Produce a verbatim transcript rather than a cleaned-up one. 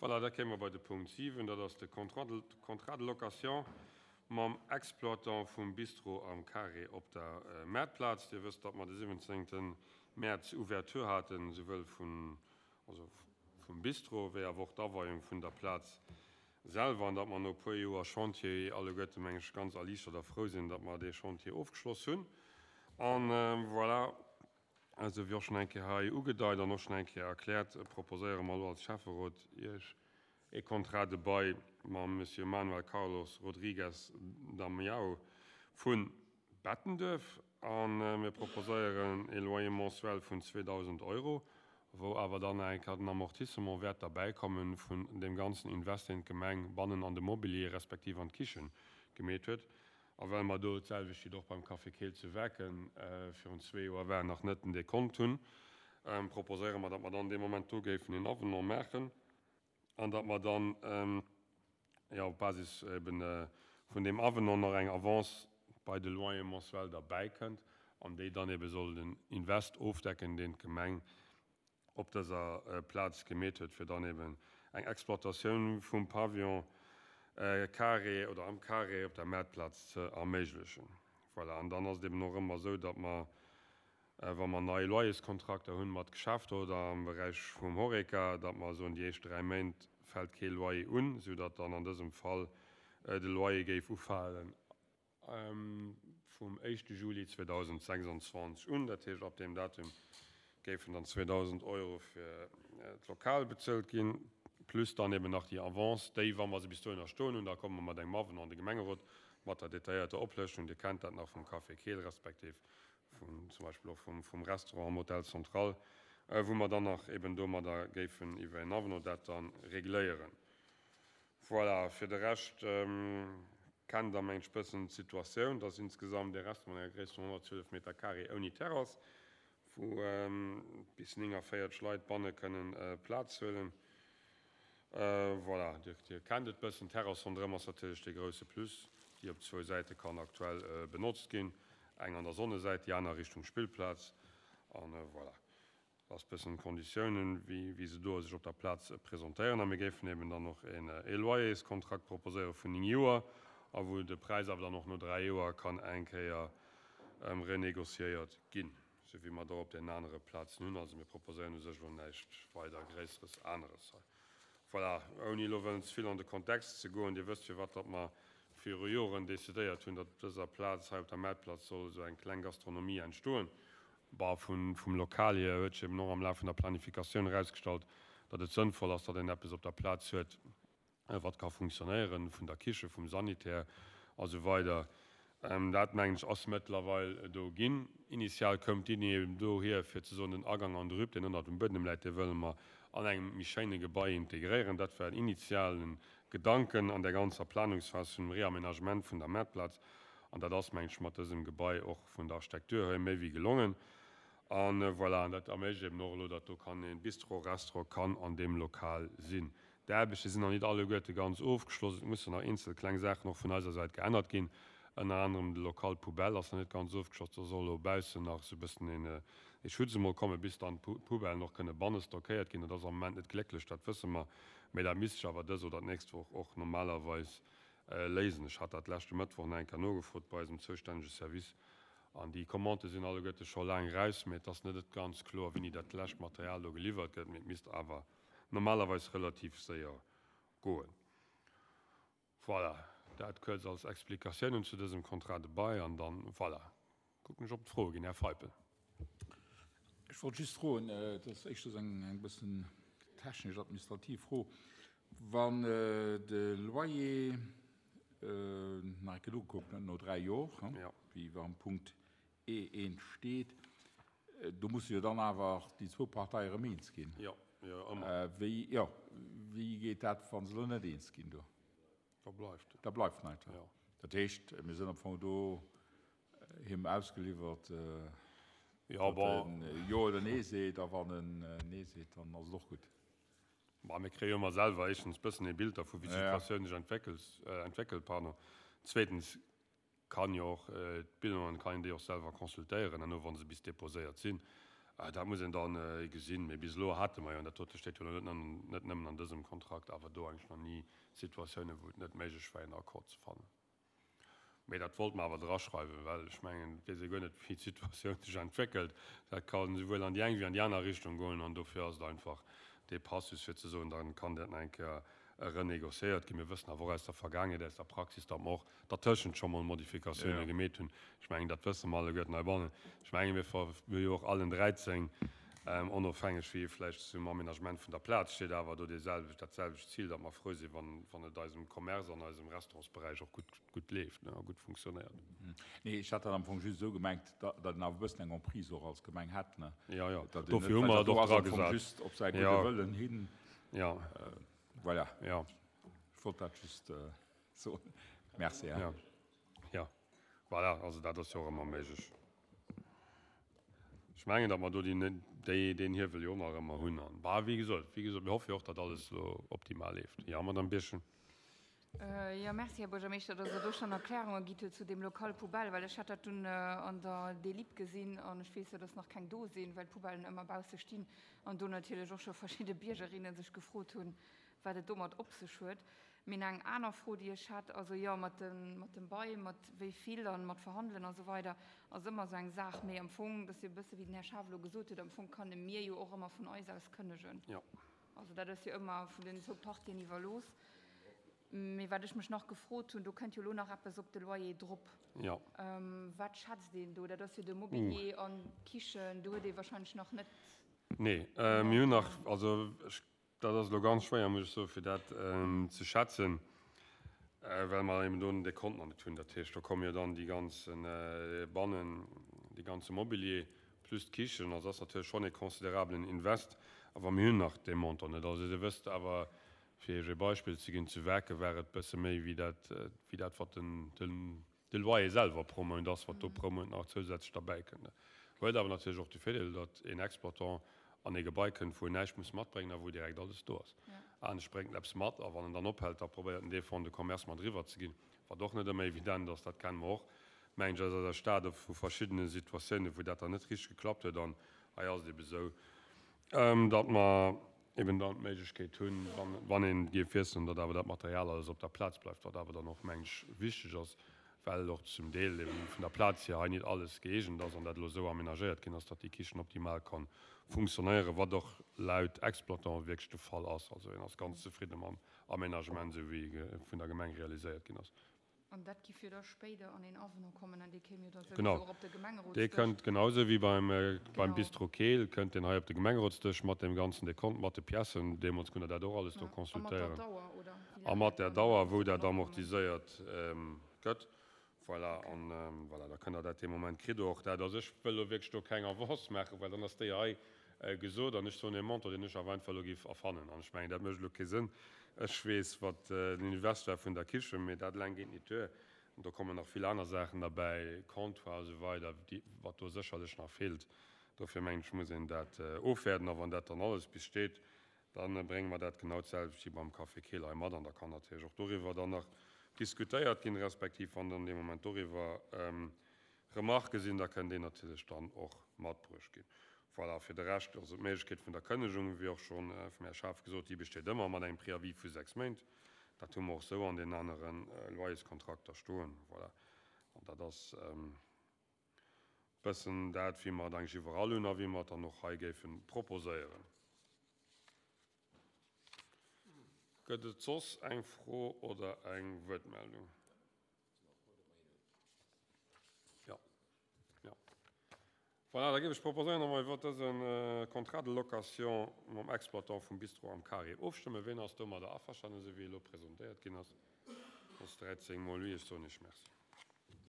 Voilà, da kéime mer bei de Punkt siwen, dat ass de Contrat de, Contrat de location mam Exploitant vum Bistro am Carré op der Maartplaz. Dir wësst, datt mer de siwwenzéngte Mäerz Ouverture haten, souwuel vun, also vum Bistro wéi awer och d'Aweiung vun der Plaz selwer, an datt mer no e puer Joer Chantier alleguerte, meng ech, ganz erliichtert a frou sinn, datt mer dee Chantier ofgeschloss hunn. An voilà, esou wéi och schonn eng Kéier hei ugedeit an och schonn eng Kéier erkläert, proposéiere mer elo als Schäfferot Iech e Contrat de bail mam Monsieur Manuel Carlos Rodrigues Damião vu Bettenduerf. A mir proposéieren e Loyer mensuel vun zweedausend Euro, wou awer dann nach eng Kéier den Amortissement wäert derbäikommen vun deem ganzen Invest, deen d'Gemeng bannen an de Mobilier respektiv an d'Kichen gemeet huet. A well mer do d'selwecht wéi och beim Café Keel zu Werken virun zwee Joer war, nach net den Dekont hunn, proposéiere mer, datt mer dann dee Moment do géifen een Avenant maachen an datt mer dann, jo, op Basis eben vun deem Avenant nach eng Avance bei de Loyer mensuel derbäikënnt an déi dann ebe soll den Invest ofdecken, deen d'Gemeng op dëser Plaz gemeet huet, fir dann eben eng Exploitatioun vum Pavillon carré oder am Carré op der Maartplaz ze erméiglechen. Voilà, an dann ass et eben och ëmmer esou, datt mer, wa mer nei Loyerskontrakter hunn mat Geschäfter oder am Beräich vum Horeca, datt mer soen, déi éischt dräi Méint fält kee Loyer un, soudatt dann an dësem Fall de Loyer géif ufalen vum éischte Juli zweedausendsechsundzwanzeg un. Dat heescht, ab deem Datum géifen dann zweedausend Euro fir d'Lokal bezuelt ginn, plus dann eben nach déi Avance, déi, wa mer se bis dohinner stoen hunn, da komme mer mat engem Avenant an de Gemengerot mat der detailléierter Oplëschtung. Dir kennt dat nach vum Café Keel respektiv vun zum Beispill och vum, vum Restaurant am Hôtel Central, wou mer dann nach eben domadder géifen iwwer en Avenant dat dann regléieren. Voilà, fir de Rescht kennt Der, mengt ech, bëssen d'Situatioun, dass insgesamt dee Restaurant mat enger Gréisst vun honnertzwielef Meter carré ouni Terrass, wou bis néngavéierzeg Leit banne kënnen Plaz huelen. Voilà, Dir, Dir kennt et bëssen. D'Terrass ronderëm ass natierlech dee grouse Plus, déi op zwou Säite kann aktuell benotzt ginn, eng an der Sonnesäit, déi aner Richtung Spillplaz. An voilà, dat ass bëssen d'Konditiounen, wéi, wéi se do sech op der Plaz presentéieren. A mir géifen eben dann och een e Loyerskontrakt proposéiere vun néng Joer, a wou de Präis awer dann och no dräi Joer kann eng Kéier renégociéiert ginn, sou wéi mer dat op den anere Plazen hunn. Also mir proposéieren u sech elo näischt weider Gréisseres aneres hei. Voilà, ouni elo wëllen ze vill an de Kontext ze goen, Dir wësst, firwat datt mer viru Joren decidéiert hunn, datt op dëser Plaz hei op der Maartplaz soll esou eng kleng Gastronomie entstoen. Bon, vun, vum Lokal hier huet sech eben och am Laf vun der Planifikatioun erausgestallt, datt et sënnvoll ass, datt een eppes op der Plaz huet, wat ka funktionéieren, vun der Kiche, vum Sanitär a sou weider. Dat, mengen ech, ass mëttlerweil do ginn. Initial koum d'Iddi eben dohier, fir ze soen, den Agang an de Rüb, deen ënnert dem Buedem läit, dee wëlle mer an engem méi schéine Gebai integréieren. Dat war den initiale Gedanken an där ganzer Planungsphas vun dem Réaménagement vun der Maartplaz. An dat ass, mengen ech, mat dësem Gebai och vun der Architektur hier méi wéi gelongen. An voilà, an dat erméiglecht eben och elo, datt do kann e Bistro, Restaurant kann an deem Lokal sinn. D'Aarbechte sinn nach nit alleguerte ganz ofgeschloss. Et mussen nach eenzel kleng Saachen och vun eiser Säit geännert ginn. Ënner anerem de Local Poubelle ass nach net ganz ofgeschloss. Do soll elo baussen nach esou e bëssen een ee Schutz emol kommen, bis dann d'Poubellen och kënne banne stockéiert ginn. Dat ass am Moment net glécklech, dat wësse mer. Mee dat misst sech awer dës oder d'nächst Woch och normalerweis léisen. Ech hat dat leschte Mëttwoch nach eng Kéier nogefrot bei eisem zoustännege Service. An déi Commandë sinn alleguerte scho laang raus, mee et ass net ganz kloer, wéini dat lescht Material do geliwwert gëtt. Mee et misst awer normalerweis relativ séier goen. Voilà, dat kuerz als Explikatiounen zu dësem Contrat de bail. An dann, voilà, kucken ech, ob et Froe ginn. Här Feipel. Ech wollt just froen, dat ass éischters eng eng bëssen technesch-administrativ Fro, wann de Loyer, nach eng Kéier nogekuckt, no dräi Jor, wéi am Punkt E eent steet, do musse jo dann awer déi zwou Parteie erëm eens ginn. Jo, jo, ëmmer. Wéi, jo, wéi geet dat, wa se elo net eens ginn do? Da bleift et. Da bleift en einfach. Jo. Dat heescht, mir sinn am Fong do him ausgeliwwert, Jo, datt bon. en Jo oder Nee seet, a wann en Nee seet, dann ass et och gutt. Bon, mir kréie jo ëmmer selwer éischtens bëssen ee Bild dervu, wéi Ja, ja. d'Situatioun sech entwéckelt, entwéckelt, pardon. Zweetens kann jo och d'Bilanen, kann een déi och selwer consultéieren herno, wa se bis déposéiert sinn. Dat muss een dann gesinn. Mee bis elo hate mer jo, an dat dote steet jo elo net, net nëmmen an dësem Kontrakt, awer do eigentlech nach ni Situatiounen, wou et net méiglech war, een Accord ze fannen. Mee dat wollt mer awer draschreiwen, well ech mengen, et weess ee guer net, wéi d'Situatioun sech entwéckelt. Dat ka souwuel an déi eng wéi an déi aner Richtung goen an dofir ass et einfach dee Passus, fir ze soen, da kann dat nach eng Kéier renégociéiert ginn. Mir wëssen awer och aus der Vergaangenheet, aus der Praxis, datt mer och dertëschent scho mol Modifikatioune gemeet hunn. Ech mengen, dat wësse mer alleguerten heibannen. Ech menge mir hu jo och allen dräizéng, onofhängeg wéi ee vläicht zum Aménagement vun der Plaz steet, awer do deeselwecht, dat selwecht Zil, datt mer frou sinn, wann, wann et eisem Commerce an eisem Restaurantsberäich och gutt, gutt leeft, ne, a gutt funktionéiert. Nee, ech hat dat am Fong just esou gemengt, datt een awer e bëssen eng Emprise och als Gemeng hätt, ne? Jo, jo, Datt een dofir net, hu well mer dat et do och ass am Fong dragesat. just op säi gudde Jo. Wëllen hin. Jo. Voilà. Jo. Ech wollt dat just soen. Merci, hein. Jo. Jo. Voilà, also dat ass jo och ëmmer méiglech. Ech mengen, datt mer do déi, deen Hiewel jo och nach ëmmer hunn. An, bah, wéi gesot, wéi gesot, mir hoffe jo och, datt alles elo optimal leeft. Jo, Madame Birchen. Jo, merci, Här Buergermeeschter, datt Der do schonn Erklärunge gitt hutt zu deem Local poubelle, well ech hat dat dunn an der Delib gesinn an ech weess jo, datt nach keng do sinn, well d'Poubellen ëmmer bausse stinn an do natierlech och scho verschidde Biergerinne sech gefrot hunn, wat et domat op sech huet. Mee eng aner Fro, déi ech hat, also jo, mat dem, mat dem Bail, mat wéi vill an mat Verhandelen a sou weider, ass ëmmer esou eng Saach. Mee am Fong, dat ass jo e bësse wéi den Här Schaaf elo gesot huet, am Fong kanne mir jo och ëmmer vun eis aus kënnegen. Jo. Also dat ass jo ëmmer vun den zwou Partien iwwerlooss. Mee wat ech mech nach gefrot hunn, do kënnt jo elo nach eppes op de Loyer drop. Jo. Wat schätzt een do? Dat ass jo de Mobilier an d'Kichen, do huet ee wahrscheinlech nach net. Nee, mir hunn nach, also ech, dat ass elo ganz schwéier, muss ech soen, fir dat ze schätzen, well mer eben do den Dekont nach net hunn. Dat heescht, do komme jo dann déi ganze bannen, dee ganze Mobilier plus d'Kichen. Also ass natierlech schonn e considerablen Invest, awer mir hunn nach dee Montant net. Also Dir wësst awer, fir Iech e Beispill ze ginn, zu Werke war et bësse méi wéi dat, wéi dat wat den, den, de Loyer selwer pro Mount ass, wat do pro Mount nach zousätzlech derbäikënnt. Huet awer natierlech och de Virdeel, datt een Exploitant an ee Gebai kënnt, wou en näischt muss matbréngen a wou direkt alles do ass. Anescht bréngt en eppes mat a wann en dann ophält, da probéiert en dee Fonds de commerce mat eriwwer ze ginn, wat och net ëmmer evident ass, dat kenne mer och, mengen ech, aus eiser Stad vu verschiddene Situatiounen, wou dat dann net richteg geklappt huet. An hei ass et ebe sou, datt mer eben dann d'Méiglechkeet hunn, wann een géif wiesselen, datt awer dat Material alles op der Plaz bleift, wat awer dann och, mengen ech, wichteg ass, well och zum Deel eben vun der Plaz hier hei net alles gëeegent ass an dat elo esou aménagéiert ginn ass, datt déi Kichen optimal kann funktionéieren, wat och laut Exploitant wierklech de Fall ass. Also een ass ganz zefridde mam Aménagement, esou wéi e vun der Gemeng realiséiert ginn ass. An dat giff jo da spéider an een Avenant kommen an dee kéim jo da souwisou Genau. och op de Dee Gemengerotsdësch. kënnt genausou wéi beim, beim Genau. Bistro Keel, kënnt deen hei op de Gemengerotsdësch mat deem ganzen Dekont, mat de Piècen. Deemools kënnt Der dat och alles do Ja. A mat der consultéieren. Dauer, oder wéi A laang mat dat der dann Dauer, wou soll dat opkommen. amortiséiert gëtt. Voilà, Okay. an voilà, da kënnt Der dat dee Moment kritt Der och dat. Also ech wëll elo wierklech do keng Avance maachen, well dann ass déi hei gesot an ech soen e Montant, deen ech awer einfach elo géif erfannen. An ech mengen, dat mécht elo kee Sënn. Ech weess, wat den Invest war vun der Kichen, mee dat eleng geet net duer. An do kommen nach vill aner Saachen derbäi, Comptoir a sou weider, déi, wat do sécherlech nach feelt. Dofir mengen ech, muss een dat ofwäerden. A wann dat dann alles bis steet, da brénge mer dat genau d'selwecht wéi beim Café Keel hei mat. An da kann natierlech och doriwwer dann nach diskutéiert ginn, respektiv wann dann dee Moment doriwwer Remarquë sinn, da kënnt deen natierlech dann och matbruecht ginn. Voilà, fir de Rescht, also d'Méiglechkeet vun der Kënnegung, wéi och scho vum Här Schaaf gesot, déi besteet ëmmer mat engem Préavis vu sechs Méint. Dat hu mer och esou an den anere Loyerskontrakter stoen. Voilà, an dat ass e bëssen dat, wéi mer et eigentlech iwwerall hunn a wéi mer et dann och hei géife proposéieren. Gëtt et soss eng Fro oder eng Wuertmeldung? Jo. Jo. Voilà, da géif ech proposéieren, datt mer iwwert dëse Contrat de location mam Exploitant vum Bistro am Carré ofstëmmen. Ween ass domadder averstanen, esou wéi e elo presentéiert ginn ass? Dat ass dräizéng mol oui. Ech soen Iech Merci.